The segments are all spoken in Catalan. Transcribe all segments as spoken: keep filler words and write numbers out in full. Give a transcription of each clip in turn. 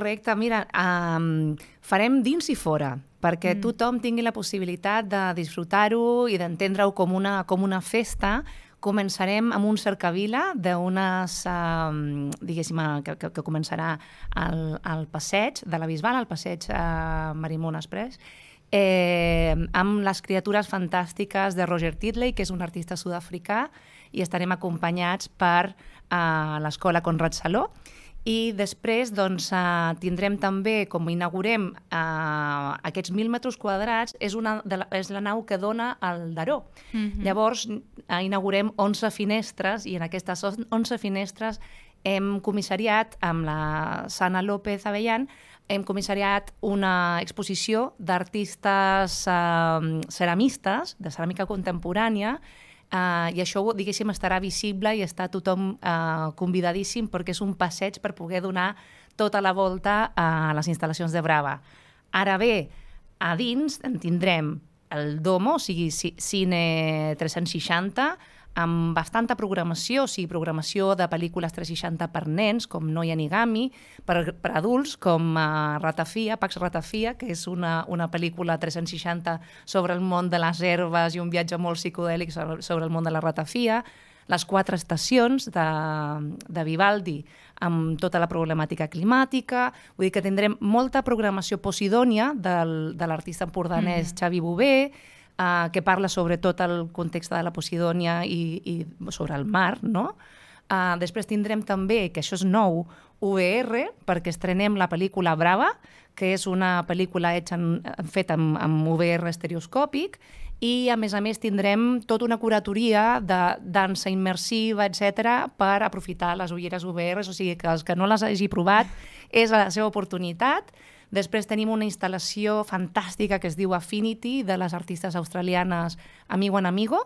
Correcte, mira, um, farem dins i fora, perquè mm. tothom tingui la possibilitat de disfrutar-ho i d'entendre-ho com una, com una festa. Començarem amb un cercavila d'unes, um, diguéssim, que, que, que començarà al, al passeig de la Bisbal, al passeig uh, Marimón Express, eh, amb les criatures fantàstiques de Roger Titley, que és un artista sud-africà, i estarem acompanyats per uh, l'Escola Conrad Saló. I després doncs, uh, tindrem també, com inaugurem uh, aquests mil metres quadrats, és, una de la, és la nau que dona al Daró. Mm-hmm. Llavors, uh, inaugurem onze finestres, i en aquestes onze finestres hem comissariat, amb la Sana López Avellán, hem comissariat una exposició d'artistes uh, ceramistes, de ceràmica contemporània, Uh, i això, diguéssim, estarà visible i està tothom uh, convidadíssim perquè és un passeig per poder donar tota la volta a les instal·lacions de Brava. Ara bé, a dins en tindrem el Domo, o sigui, cine tres-cents seixanta, amb bastanta programació, o sigui, programació de pel·lícules tres-cents seixanta per nens, com No Yanigami, per, per adults, com uh, Ratafia, Pax Ratafia, que és una, una pel·lícula tres-cents seixanta sobre el món de les herbes i un viatge molt psicodèlic sobre, sobre el món de la ratafia, les quatre estacions de, de Vivaldi, amb tota la problemàtica climàtica, vull dir que tindrem molta programació posidònia del, de l'artista empordanès mm. Xavi Bové, Uh, que parla sobre tot el context de la Posidònia i, i sobre el mar, no? Uh, després tindrem també, que això és nou, U V R, perquè estrenem la pel·lícula Brava, que és una pel·lícula en, feta amb, amb U V R estereoscòpic, i a més a més tindrem tota una curatoria de dansa immersiva, etcètera, per aprofitar les ulleres U V R, o sigui que els que no les hagi provat és la seva oportunitat. Després tenim una instal·lació fantàstica que es diu Affinity, de les artistes australianes Amigo en Amigo,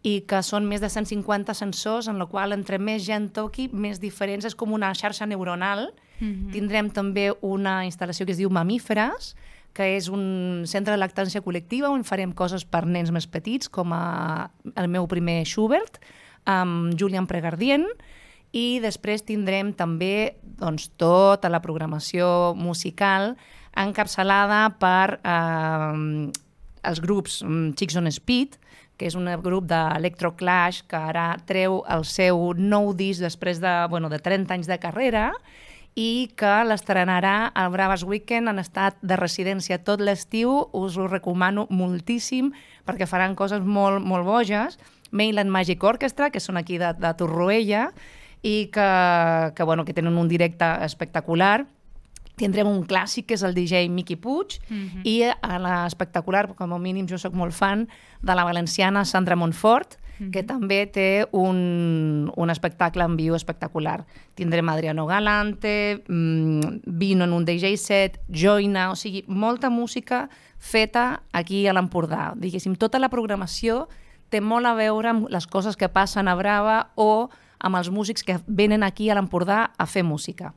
i que són més de cent cinquanta sensors, en la qual entre més gent toqui, més diferents, és com una xarxa neuronal. Mm-hmm. Tindrem també una instal·lació que es diu Mamíferes, que és un centre de lactància col·lectiva on farem coses per nens més petits, com a el meu primer Schubert, amb Julian Pregardien, i després tindrem també doncs, tota la programació musical encapçalada per eh, els grups Chicks on Speed, que és un grup d'Electroclash que ara treu el seu nou disc després de, bueno, de trenta anys de carrera i que l'estrenarà al Braves Weekend en estat de residència tot l'estiu. Us ho recomano moltíssim perquè faran coses molt, molt boges. Mainland Magic Orchestra, que són aquí de, de Torroella, i que, que, bueno, que tenen un directe espectacular. Tindrem un clàssic, que és el D J Miqui Puig, mm-hmm. i a l'espectacular, com a mínim jo soc molt fan, de la valenciana Sandra Montfort, mm-hmm. que també té un, un espectacle en viu espectacular. Tindrem Adriano Galante, mmm, Vino en un D J set, Joina, o sigui, molta música feta aquí a l'Empordà. Diguéssim, tota la programació té molt a veure amb les coses que passen a Brava o amb els músics que venen aquí a l'Empordà a fer música.